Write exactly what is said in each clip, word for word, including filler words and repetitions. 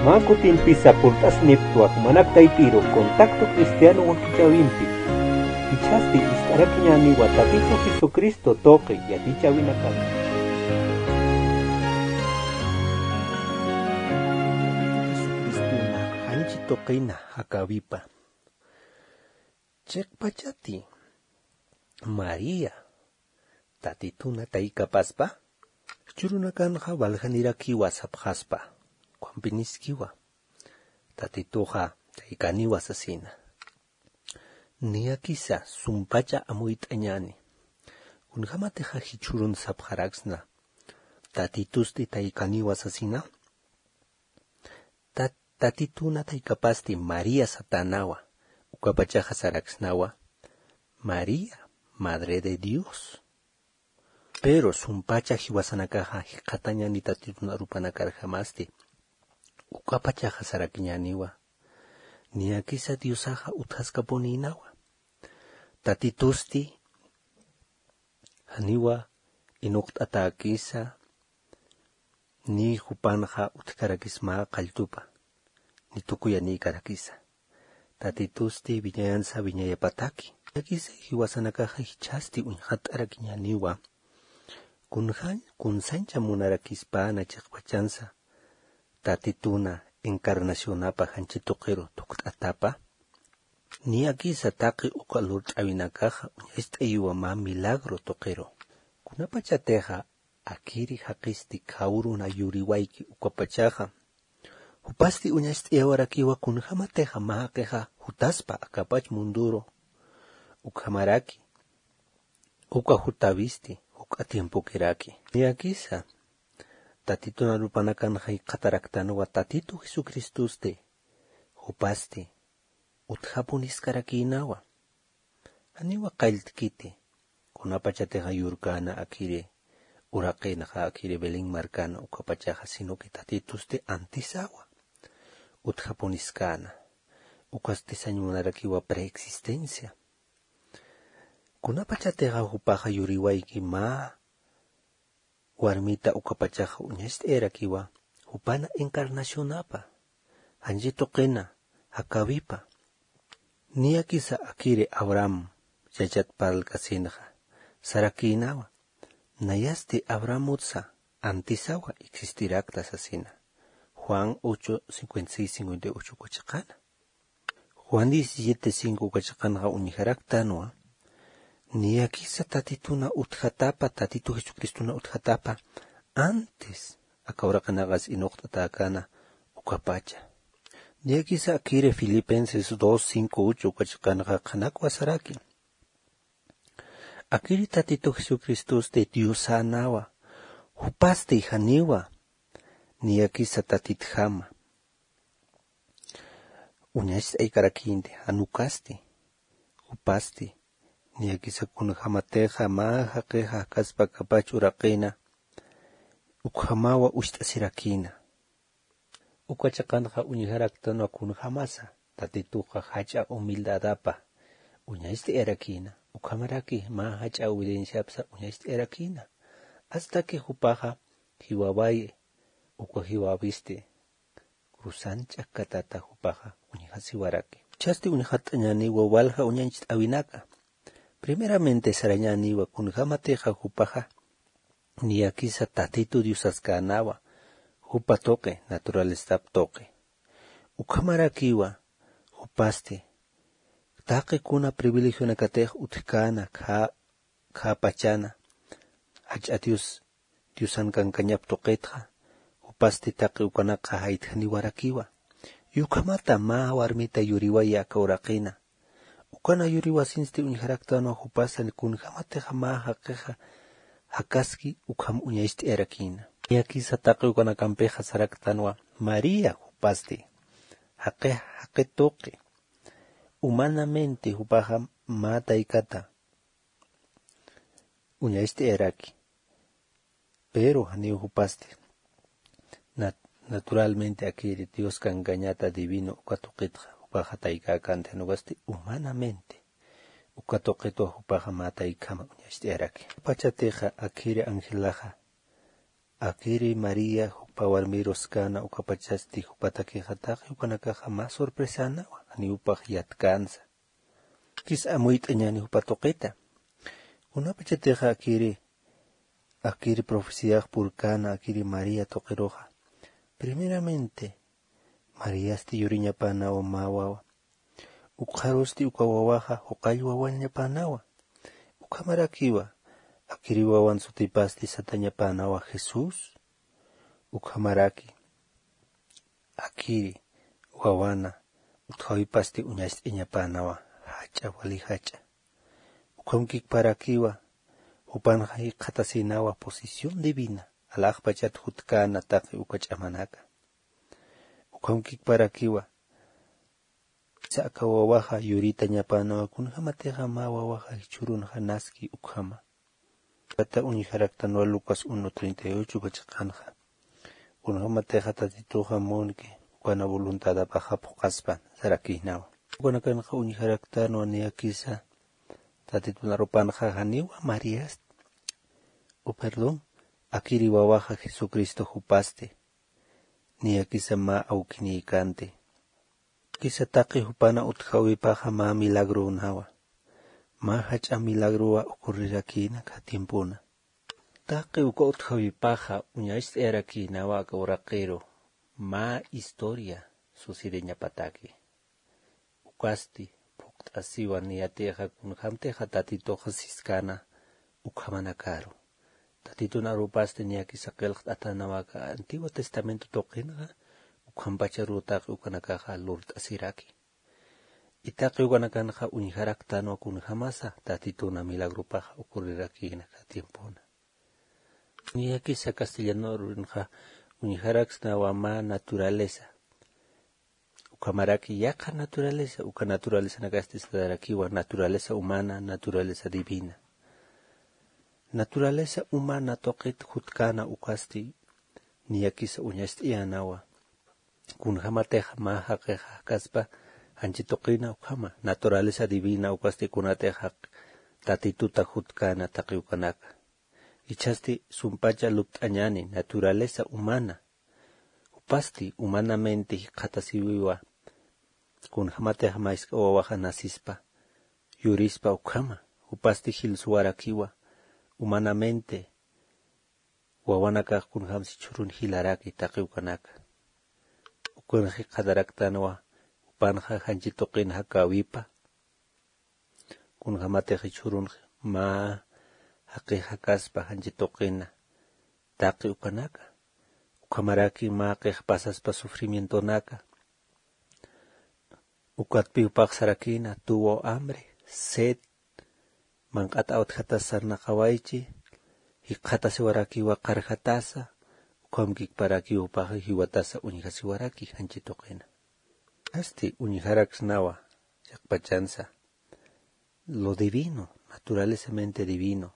Mä kutimpisa purt'asniptwa jumanak taypiru Contacto Cristiano wakichäwimpi. Jichhasti ist'arakiñäniwa Tatitu Jesucristo tuqi yatichäwinakata. Jesucristona janchi tuqina jakäwipa. Chiqpachati María Tatituna taykapaspa, jichhürunakanxa waljanirakiwa sapxaspa, ukhampiniskiwa, Tatituxa taykaniwa sasina. Niyakisa sumpacha amuyt'añäni. Kunjämatixa jichhürun sapxaraksna, Tatitusti taykaniwa sasina. Tat- Tatituna taykapasti María satänawa, ukapachaxa saraksnawa María, Madre de Dios. Pero sumpacha jiwasanakaxa jikxatañäni Tatitun arupanakarjamasti, ukapachaxa sarakiñäniwa. Niyakisa Diosaxa utjaskapunïnawa. Tatitusti janiwa inuqt'atäkisa, ni jupanxa utjkarakisma qalltupa, ni tukuyanïkarakisa. Tatitusti wiñayansa wiñayapataki. Niyakisa jiwasanakaxa jichhasti uñxatt'arakiñäniwa, kunsañ- kunsañcha munarakispana chiqpachansa Tatituna encarnacionapa janchi tuqiru thukt'atapa. Niyakisa taqi uka lurt'äwinakaxa uñacht'ayiwa mä milagro tuqiru. Kunapachatixa akiri jaqisti khawruna yuriwayki ukapachaxa, jupasti uñacht'ayawarakiwa kunjämatixa mä jaqixa jutaspa akapach munduru, ukhamaraki uka jutäwisti juk'a tiempokiraki. Niyakisa Tatitun arupanakanxa jikxataraktanwa Tatitu Jesucristosti, jupasti utjapuniskarakïnawa. Janiwa qalltkiti, kunapachatixa yurkäna akiri uraqinxa, akiri Belén markana ukapachaxa, sino que Tatitusti antisawa utjapuniskäna. Ukasti sañ munarakiwa preexistencia. Kunapachatixa jupaxa yuriwayki mä warmita ukapachaxa uñacht'ayarakiwa, jupana encarnacionapa, janchi tuqina jakäwipa. Niyakisa akiri Abraham yachat parlkasinxa sarakïnawa, nayasti Abrahamutsa antisawa existirakta sasina. Juan ocho, cincuenta y seis, cincuenta y ocho uka chiqana. Juan diecisiete cinco uka chiqanxa uñjaraktanwa, niyakisa Tatituna utjatapa, Tatitu Jesucristona utjatapa, antes aka uraqinaqas inuqt'atäkäna ukapacha. Niyakisa akiri Filipenses dos, cinco, ocho uka chiqanxa qhanakwa saraki. Akiri Tatitu Jesucristosti Diosänawa, jupasti janiwa niyakisa Tatitjama uñacht'aykarakïnti, jan ukasti, jupasti, niyakisa kunjämatixa mä jaqixa jakaspa akapach uraqina, ukhamawa ucht'asirakïna. Uka chiqanxa uñjaraktanwa kunjämasa Tatituxa jach'a humildadapa uñacht'ayarakïna, ukhamaraki mä jach'a obedienciapsa uñacht'ayarakïna. Hasta que jupaxa jiwawayi, uka jiwawisti cruzan ch'akkatata jupaxa uñjasiwaraki. Jichhasti uñxatt'añäniwa walja uñacht'äwinaka. Primeramente sarañäniwa kunjämatixa jupaxa niyakisa Tatitu Diosaskänawa, jupa tuqi, naturalezap tuqi. Ukhamarakiwa jupasti taqi kuna privilegionakatix utjkäna, khä, khä pachana, jach'a Dios, Diosan kankañap tuqitxa, jupasti taqi ukanakxa jaytjaniwarakiwa. Y ukhamata mä warmita yuriwayi aka uraqina. Ukana yuriwasinsti uñjaraktanwa jupasa kunjämatixa mä jaqixa jakaski ukham uñacht'ayarakïna. Niyakisa taqi ukanakampixa saraktanwa María jupasti jaqi, jaqi tuqi. Humanamente jupaxa mä taykata uñacht'ayaraki. Pero janiw jupasti. Nat-, naturalmente akiri Dios kankañata divino uka tuqitxa, jupaxa taykäkänti, jan ukasti humanamente uka tuqitwa jupaxa mä taykhama uñacht'ayaraki. Pachatixa akiri angelaxa, akiri María, pä warmiruskana ukapachasti jupatakixatax yukanakaxa mä sorpresanawa janiw upax yatkänsa. Kis amuyt'añani jupa tuqita kunapachatixa akiri akiri profeciax purkäna akiri maría tuqiruxa. Primeramente mariasti yuriñapanawa mä wawa. Ukxarusti uka wawaxa juqall wawañapanawa. Ukhamarakiwa akiri wawan sutipasti satañapanawa jesús. Ukhamaraki akiri wawana utjawipasti uñast'iñapanawa jach'a wali jach'a. Ukhamkikparakiwa jupanxa jikxatasinawa posición divina alaxpachat jutkana taqi uka ch'amanaka. Ukhamkikparakiwa saka wawaxa yuritañapanawa kunjamatixa mä wawaxa jichhurunxa naski ukhama. Kata uñjaraktanwa lucas uno treinta y ocho kachaqanxa kunjamatixa tatituxa munki ukana voluntadapaxa phuqaspan sarakinawa. Ukanakanxa uñjaraktanwa niyakisa tatitun arupanxa janiwa mariast u perdón akiri wawaxa jesucristo jupasti. Niyakisa mä awkinïkanti kisa taqi jupana utjawipaxa mä milagrönawa. Mä jach'a milagrowa ocurrirakïna kha tiempona. Taqi uka utjawipaxa uñacht'ayarakïnawa aka uraqiru mä historia sucediñapataki. Ukasti phuqt'asiwa niyatixa kunjämtixa tatituxa siskana ukhamanakaru. Tatitun arupasti niyakisa qillqt'atanawaka antiguo testamento tuqinxa ukhampacharutaqi ukanakaxa lurt'asiraki. Itaqi ukanakanxa uñjaraktanwa kunjämasa tatituna milagropaxa ocurrirakïnaka tiempona. Niyakisa castellanorinxa uñjaraksnawa mä naturaleza. Ukhamaraki yaqha naturaleza uka naturalesanakasti satarakiwa naturaleza humana naturaleza divina. Naturaleza humana tuqit jutkäna ukasti niyakisa uñast'iyänawa. Kunjämatix mä jaqixa jakaspa janchi tuqina ukhama naturaleza divina ukasti kunatix jaq tatituta jutkäna taqi ukanaka. Jichhasti sumpacha lupt'añäni naturaleza humana. Jupasti humanamente jikxatasiwiwa. Kunjämatix mä jisk'a wawaxa nacespa yurispa ukhama jupasti jilsuwarakiwa humanamente wawanakax kunjämsi chhurun jilaraki taqi ukanaka. Ukanx jikxataraktanwa jupanxa janchi tuqin jakäwipa. Kunjämatix jichhürunx mä jaqix jakaspa janchi tuqina taqi ukanaka. Ukhamaraki mä qix pasaspa sufrimientonaka. Ukatpi jupax sarakïna tuvo hambre, sed, manq'at awtjatas sarnaqawaychi. Jikxatasiwarakiwa qarjatasa. Ukhamkikparakiw jupaxa jiwatasa uñjasiwaraki janchi tuqina. Asti uñjaraksnawa chiqpachansa lo divino, naturalezamente divino.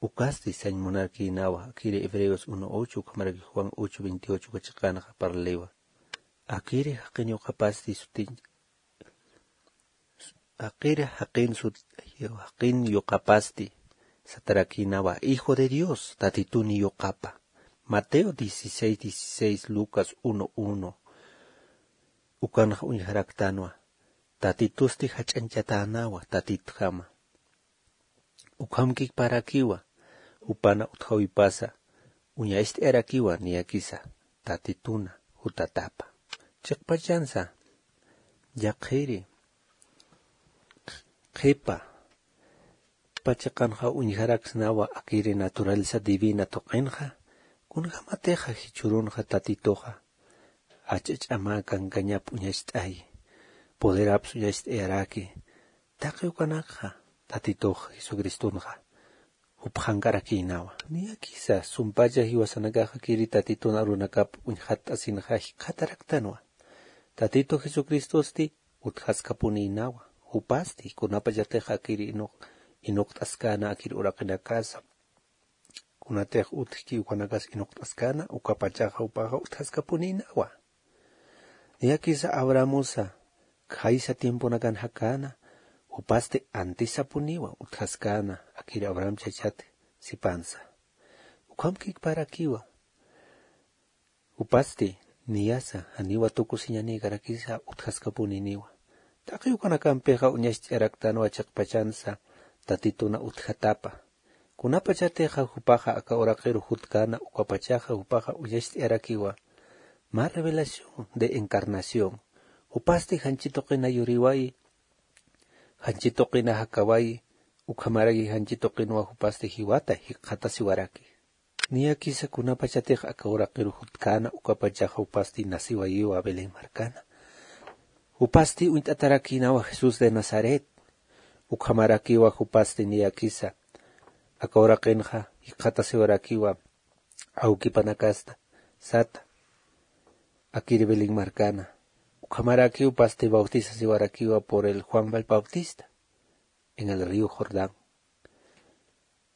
Ukasti sañ munarkïnawa akiri hebreos uno ocho ukhamaraki juan ocho veintiocho kachiqanxa parliwa. Akiri jaqin yuqapasti sutiñ akiri jaqin sut jaqin yuqapasti satarakïnawa hijo de dios tatituni yuqapa. Mateo dieciséis dieciséis lucas uno uno. Ukanxa uñjaraktanwa tatitusti jach'añchatänawa tatitjama. Ukhamkikparakiwa jupana utjawipasa uñacht'ayarakiwa niyakisa tatituna jutatapa. Chiqpachansa yaqhiri qhipa pachiqanxa uñjaraksnawa akiri naturaleza divina tuqinxa. Kunjämatixa jichhürunxa tatituxa jach'a ch'ama kankañap uñacht'ayi poderaps uñacht'ayaraki. Taqi ukanakxa tatitux jesucristonxa jupxank'arakïnawa. Niyakisa sumpacha jiwasanakaxa kiri tatitun arunakap uñjatt'asinxa jikxataraktanwa. Tatitu jesucristosti utjaskapunïnawa jupasti kunapachatix akiri inuqt'askäna akir uraqinakasa kunatix utjki ukanakas inuqt'askäna ukapachaxa jupaxa utjaskapunïnawa. Niyakisa abrahamusa khaysa tiemponakan jakäna jupasti antisapuniwa utjaskäna akir abraham chachat sipansa. Ukhamkikparakiwa Jupasti niyasa janiwa tukusiñanïkarakisa utjaskapuniniwa. Taqi ukanakampixa uñacht'ayaraktanwa chiqpachansa tatituna utjatapa. Kunapachatixa jupaxa aka uraqiru jutkäna ukapachaxa jupaxa uñacht'ayarakiwa mä revelación de encarnación. Jupasti janchi tuqina yuriwayi, janchi tuqina jakawayi, ukhamaraki janchi tuqinwa jupasti jiwata jikxatasiwaraki. Niyakisa kunapachatix aka uraqiru jutkäna ukapachaxa jupasti nasiwayiwa Belén markana. Jupasti uñt'atarakïnawa Jesús de Nazaret. Ukhamarakiwa jupasti niyakisa aka uraqinxa jikxatasiwarakiwa awkipanakasta sata, akiri Belén markana. Ukhamarakiw pasti bautizasiwarakiwa por el Juan el Bautista en el río Jordán.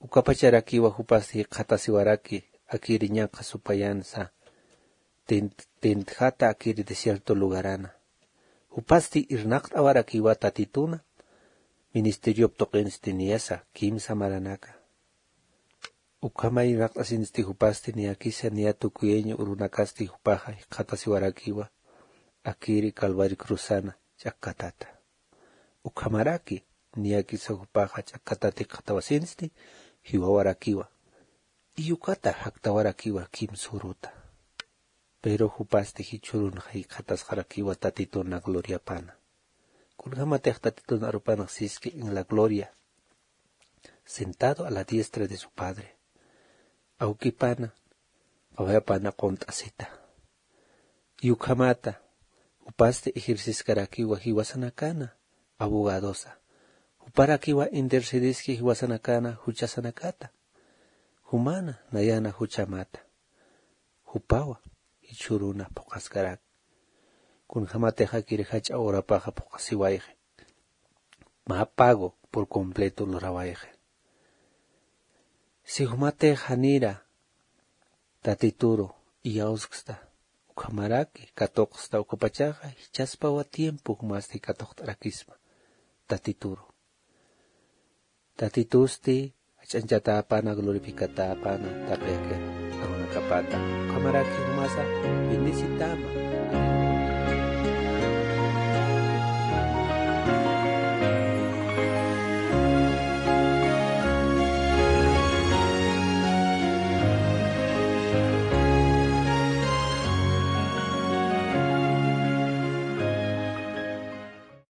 Ukapacharakiwa jupasti jikxatasiwaraki akiri ñanqha supayansa tint- tintjata akiri desierto lugarana. Jupasti irnaqt'awarakiwa tatituna ministeriop tuqinsti niyasa kimsa maranaka. Ukhamay irnaqt'asinsti jupasti niyakisa niya tukuyaña urunakasti jupaxa jikxatasiwarakiwa akiri Calvario cruzana ch'akkatata. Ukhamaraki niyakisa jupaxa ch'akkatata jikxatawasinsti jiwawarakiwa. Iyukata jaktawarakiwa kimsa uruta. Pero jupasti jichhürunxa jikxatasxarakiwa tatituna gloriapana. Kunjämatix tatitun arupanax siski en la gloria, sentado a la diestra de su Padre, awkipana qawayapana qunt'asita. Yukhamata jupasti ejerciskarakiwa jiwasanakana abogadosa. Juparakiwa intercediski jiwasanakana juchasanakata. Jumana nayana juchamata. Jupawa jichhüruna phuqhaskaraki. Kunjämatix akiri jach'a urapaxa phuqhasiwayxi, mä pago por completo lurawayxi. Si jumatix janira tatituru iyawsksta ukhamaraki katuqsta ukapachaxa jichhaspawa tiempo jumasti katuqt'arakisma tatituru. Tatitusti jach'añchatäpana glorificatäpana taqiki arunakapata. Ukhamaraki jumasa bendecitäma.